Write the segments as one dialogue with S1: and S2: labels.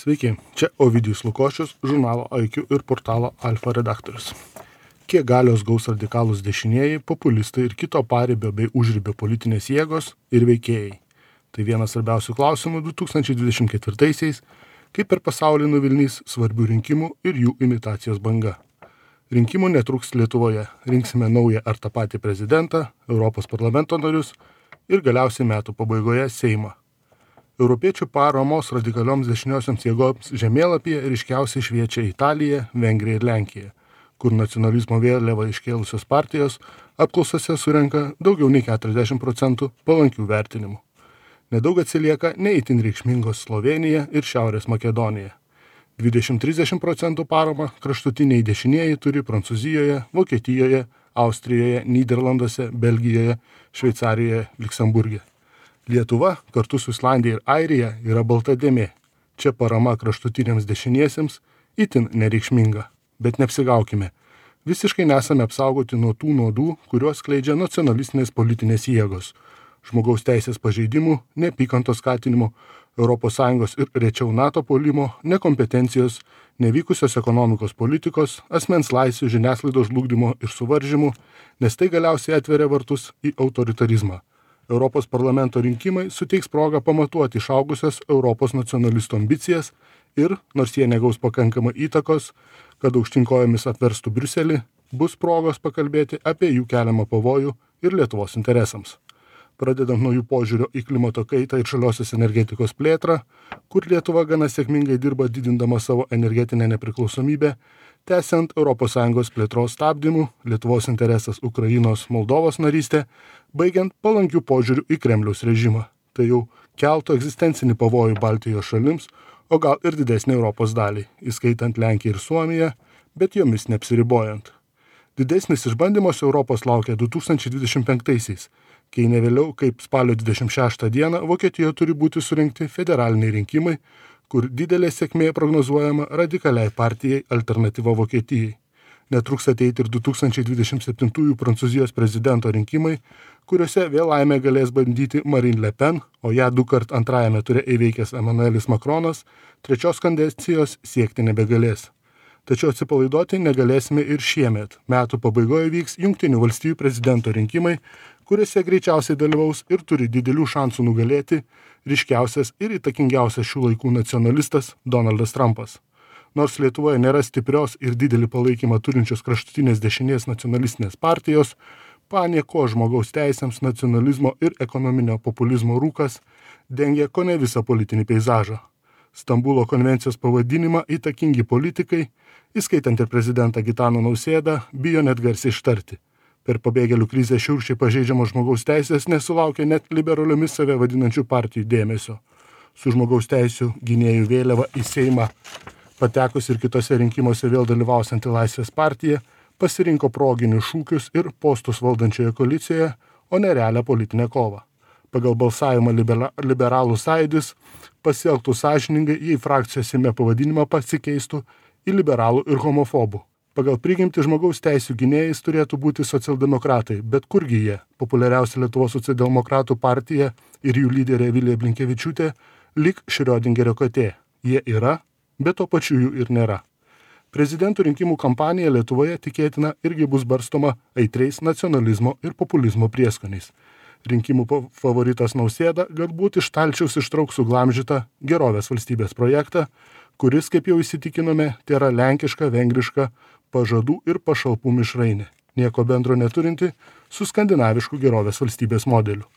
S1: Sveiki, čia Ovidijus Lukošius, žurnalo IQ ir portalo Alfa redaktorius. Kiek galios gaus radikalūs dešinieji, populistai ir kito paribio bei užribio politinės jėgos ir veikėjai? Tai vienas svarbiausių klausimų 2024-aisiais, kai per pasaulį nuvilnys svarbių rinkimų ir jų imitacijos banga. Rinkimų netruks Lietuvoje. Rinksime naują ar tą patį prezidentą, Europos parlamento narius ir galiausiai metų pabaigoje Seimą. Europiečių paramos radikalioms dešiniosioms jėgoms žemėlapyje ryškiausiai šviečia Italija, Vengrija ir Lenkija, kur nacionalizmo vėliavą iškėlusios partijos apklausose surenka daugiau nei 40% palankių vertinimų. Nedaug atsilieka neįtin reikšmingos Slovenija ir Šiaurės Makedonija. 20-30% paramą kraštutiniai dešinieji turi Prancūzijoje, Vokietijoje, Austrijoje, Nyderlanduose, Belgijoje, Šveicarijoje, Liuksemburge. Lietuva kartu su Islandija ir Airija yra balta dėmė. Čia parama kraštutiniams dešiniesiems itin nereikšminga. Bet neapsigaukime. Visiškai nesame apsaugoti nuo tų nuodų, kuriuos skleidžia nacionalistinės politinės jėgos. Žmogaus teisės pažeidimų, neapykantos skatinimo, ES ir rečiau NATO puolimo, nekompetencijos, nevykusios ekonomikos politikos, asmens laisvių, žiniasklaidos žlugdymo ir suvaržymų, nes tai galiausiai atveria vartus į autoritarizmą. Europos parlamento rinkimai suteiks progą pamatuoti išaugusias Europos nacionalistų ambicijas ir, nors jie negaus pakankamai įtakos, kad aukštinkojomis apverstų Briuselį, bus progos pakalbėti apie jų keliamą pavojų ir Lietuvos interesams. Pradedant nuo jų požiūrio į klimato kaitą ir žaliosios energetikos plėtrą, kur Lietuva gana sėkmingai dirba didindama savo energetinę nepriklausomybę, tęsiant ES plėtros stabdymų, Lietuvos interesas Ukrainos, Moldovos narystė, baigiant palankių požiūrių į Kremliaus režimą. Tai jau keltų egzistencinį pavojų Baltijos šalims, o gal ir didesnį Europos dalį, įskaitant Lenkiją ir Suomiją, bet jomis neapsiribojant. Didesnis išbandymas Europos laukia 2025-aisiais, kai ne vėliau kaip spalio 26 dieną Vokietijoje turi būti surinkti federaliniai rinkimai, kur didelė sėkmė prognozuojama radikaliai partijai Alternatyva Vokietijai. Netruks ateiti ir 2027 Prancūzijos prezidento rinkimai, kuriuose vėl laimę galės bandyti Marine Le Pen, o ją dukart antrajame ture įveikęs Emmanuelis Macronas, trečios kadencijos siekti nebegalės. Tačiau atsipalaiduoti negalėsime ir šiemet. Metų pabaigoje vyks Jungtinių valstijų prezidento rinkimai, kuriuose greičiausiai dalyvaus ir turi didelių šansų nugalėti ryškiausias ir įtakingiausias šių laikų nacionalistas Donaldas Trumpas. Nors Lietuvoje nėra stiprios ir didelį palaikymą turinčios kraštutinės dešinės nacionalistinės partijos, panieko žmogaus teisėms, nacionalizmo ir ekonominio populizmo rūkas dengia kone visą politinį peizažą. Stambulo konvencijos pavadinimą įtakingi politikai, įskaitant ir prezidentą Gitaną Nausėdą, bijo net garsiai ištarti. Per pabėgėlių krizę šiurkščiai pažeidžiamos žmogaus teisės nesulaukia net liberaliomis save vadinančių partijų dėmesio. Su žmogaus teisių gynėjų vėliava į Seimą patekus ir kitose rinkimuose vėl dalyvausianti Laisvės partija pasirinko proginius šūkius ir postus valdančioje koalicijoje, o ne realią politinę kovą. Pagal balsavimą liberalų sąjūdis pasielgtų sąžiningai, jei frakcijos Seime pavadinimą pasikeistų į liberalų ir homofobų. Pagal prigimtį žmogaus teisių gynėjais turėtų būti socialdemokratai, bet kurgi jie? Populiariausia Lietuvos socialdemokratų partija ir jų lyderė Vilija Blinkevičiūtė lyg Šriodingerio katė. Jie yra, bet to pačiu jų ir nėra. Prezidentų rinkimų kampanija Lietuvoje tikėtina irgi bus barstoma aitriais nacionalizmo ir populizmo prieskoniais. Rinkimų favoritas Nausėda galbūt iš stalčiaus ištrauks suglamžytą gerovės valstybės projektą, kuris, kaip jau įsitikinome, tėra lenkiška, vengriška, pažadų ir pašalpų mišrainė, nieko bendro neturinti su skandinavišku gerovės valstybės modeliu.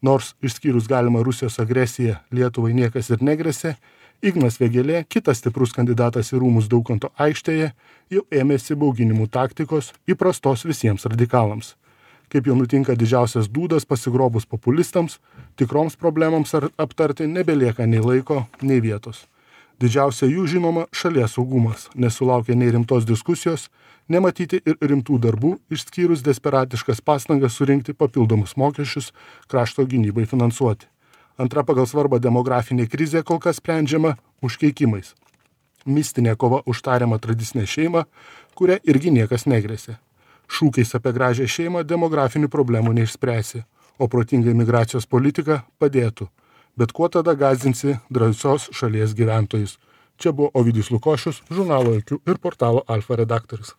S1: Nors išskyrus galimą Rusijos agresiją Lietuvai niekas ir negresė, Ignas Vėgėlė, kitas stiprus kandidatas į rūmus Daukanto aikštėje, jau ėmėsi bauginimų taktikos įprastos visiems radikalams. Kaip jau nutinka didžiausias dūdas pasigrobus populistams, tikroms problemams aptarti nebelieka nei laiko, nei vietos. Didžiausia jų žinoma šalies saugumas, nesulaukia nei rimtos diskusijos, nematyti ir rimtų darbų, išskyrus desperatiškas pastangas surinkti papildomus mokesčius krašto gynybai finansuoti. Antra pagal svarbą demografinė krizė kol kas sprendžiama užkeikimais. Mistinė kova už tariamą tradicinę šeimą, kuria irgi niekas negresė. Šūkiais apie gražią šeimą demografinių problemų neišspręsi, o protinga imigracijos politika padėtų. Bet kuo tada gąsdinsi drąsios šalies gyventojus? Čia buvo Ovidijus Lukošius, žurnalo IQ ir portalo Alfa redaktorius.